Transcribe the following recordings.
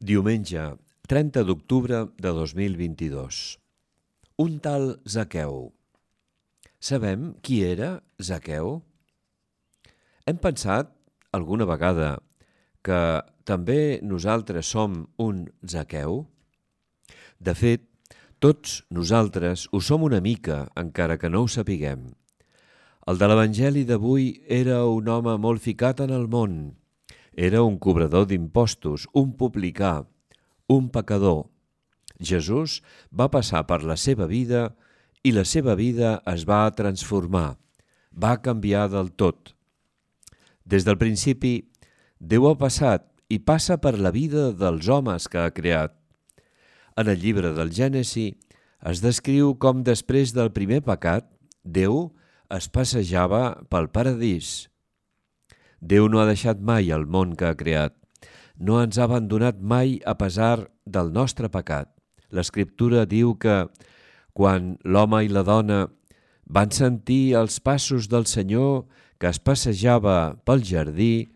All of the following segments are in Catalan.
Diumenge, 30 d'octubre de 2022. Un tal Zaqueu. Sabem qui era Zaqueu? Hem pensat alguna vegada que també nosaltres som un Zaqueu? De fet, tots nosaltres ho som una mica, encara que no ho sapiguem. El de l'Evangeli d'avui era un home molt ficat en el món. Era un cobrador d'impostos, un publicà, un pecador. Jesús va passar per la seva vida i la seva vida es va transformar, va canviar del tot. Des del principi, Déu ha passat i passa per la vida dels homes que ha creat. En el llibre del Gènesi es descriu com després del primer pecat, Déu es passejava pel paradís. Déu no ha deixat mai el món que ha creat. No ens ha abandonat mai a pesar del nostre pecat. L'Escriptura diu que quan l'home i la dona van sentir els passos del Senyor que es passejava pel jardí,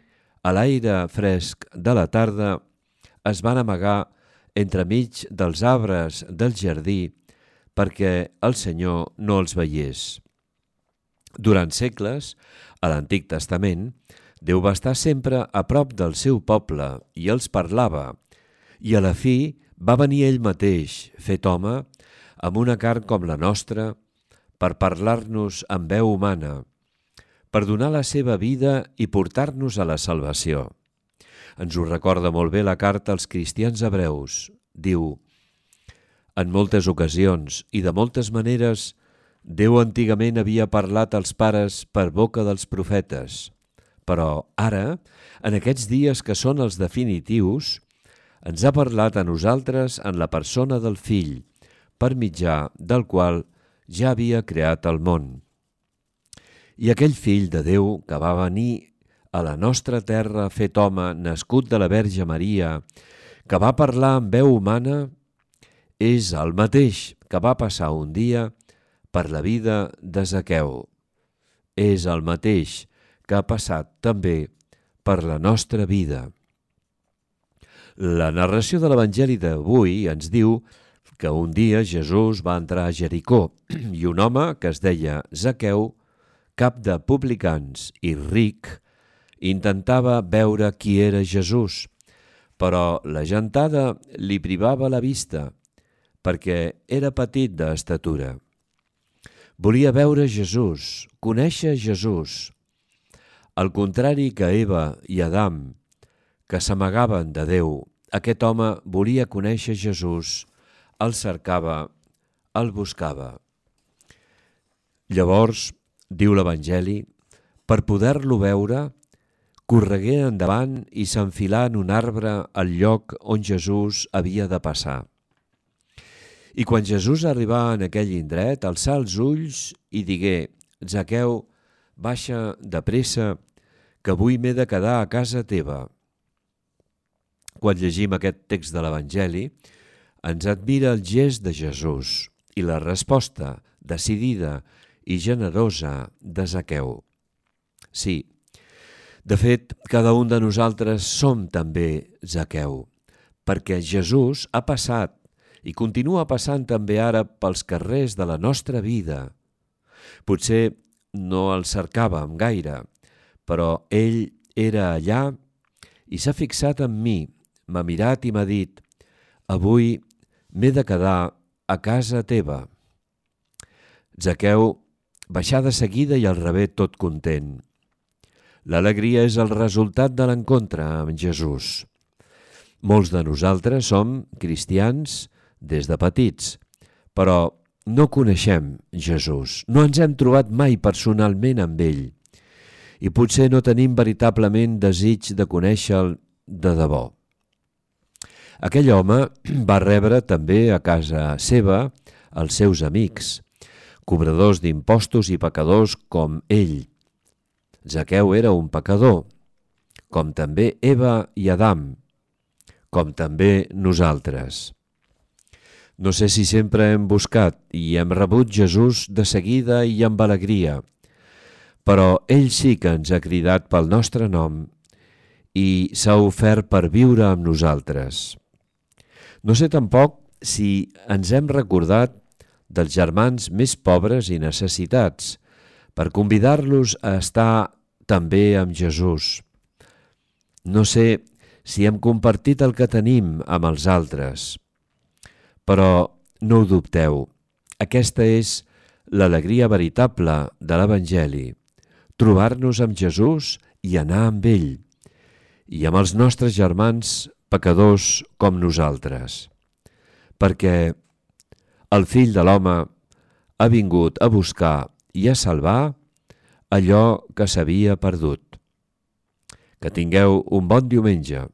a l'aire fresc de la tarda, es van amagar entremig dels arbres del jardí perquè el Senyor no els veiés. Durant segles, a l'Antic Testament, Déu va estar sempre a prop del seu poble i els parlava, i a la fi va venir ell mateix, fet home, amb una carn com la nostra, per parlar-nos amb veu humana, per donar la seva vida i portar-nos a la salvació. Ens ho recorda molt bé la carta als cristians hebreus. Diu: en moltes ocasions i de moltes maneres, Déu antigament havia parlat als pares per boca dels profetes, però ara, en aquests dies que són els definitius, ens ha parlat a nosaltres en la persona del Fill, per mitjà del qual ja havia creat el món. I aquell Fill de Déu que va venir a la nostra terra fet home, nascut de la Verge Maria, que va parlar amb veu humana, és el mateix que va passar un dia per la vida de Zaqueu. És el mateix que ha passat també per la nostra vida. La narració de l'Evangeli d'avui ens diu que un dia Jesús va entrar a Jericó i un home que es deia Zaqueu, cap de publicans i ric, intentava veure qui era Jesús, però la gentada li privava la vista perquè era petit d'estatura. Volia veure Jesús, conèixer Jesús. Al contrari que Eva i Adam, que s'amagaven de Déu, aquest home volia conèixer Jesús, el cercava, el buscava. Llavors, diu l'Evangeli, per poder-lo veure, corregué endavant i s'enfilà en un arbre al lloc on Jesús havia de passar. I quan Jesús arribà en aquell indret, alçà els ulls i digué: Zaqueu, baixa de pressa, que avui m'he de quedar a casa teva. Quan llegim aquest text de l'Evangeli, ens admira el gest de Jesús i la resposta decidida i generosa de Zaqueu. Sí, de fet, cada un de nosaltres som també Zaqueu, perquè Jesús ha passat i continua passant també ara pels carrers de la nostra vida. Potser no el cercàvem gaire, però ell era allà i s'ha fixat en mi, m'ha mirat i m'ha dit: avui m'he de quedar a casa teva. Zaqueu baixà de seguida i el rebé tot content. L'alegria és el resultat de l'encontre amb Jesús. Molts de nosaltres som cristians des de petits, però no coneixem Jesús, no ens hem trobat mai personalment amb ell i potser no tenim veritablement desig de conèixer-lo de debò. Aquell home va rebre també a casa seva els seus amics, cobradors d'impostos i pecadors com ell. Zaqueu era un pecador, com també Eva i Adam, com també nosaltres. No sé si sempre hem buscat i hem rebut Jesús de seguida i amb alegria, però ell sí que ens ha cridat pel nostre nom i s'ha ofert per viure amb nosaltres. No sé tampoc si ens hem recordat dels germans més pobres i necessitats per convidar-los a estar també amb Jesús. No sé si hem compartit el que tenim amb els altres, però no ho dubteu, aquesta és l'alegria veritable de l'Evangeli, trobar-nos amb Jesús i anar amb ell, i amb els nostres germans pecadors com nosaltres, perquè el Fill de l'Home ha vingut a buscar i a salvar allò que s'havia perdut. Que tingueu un bon diumenge.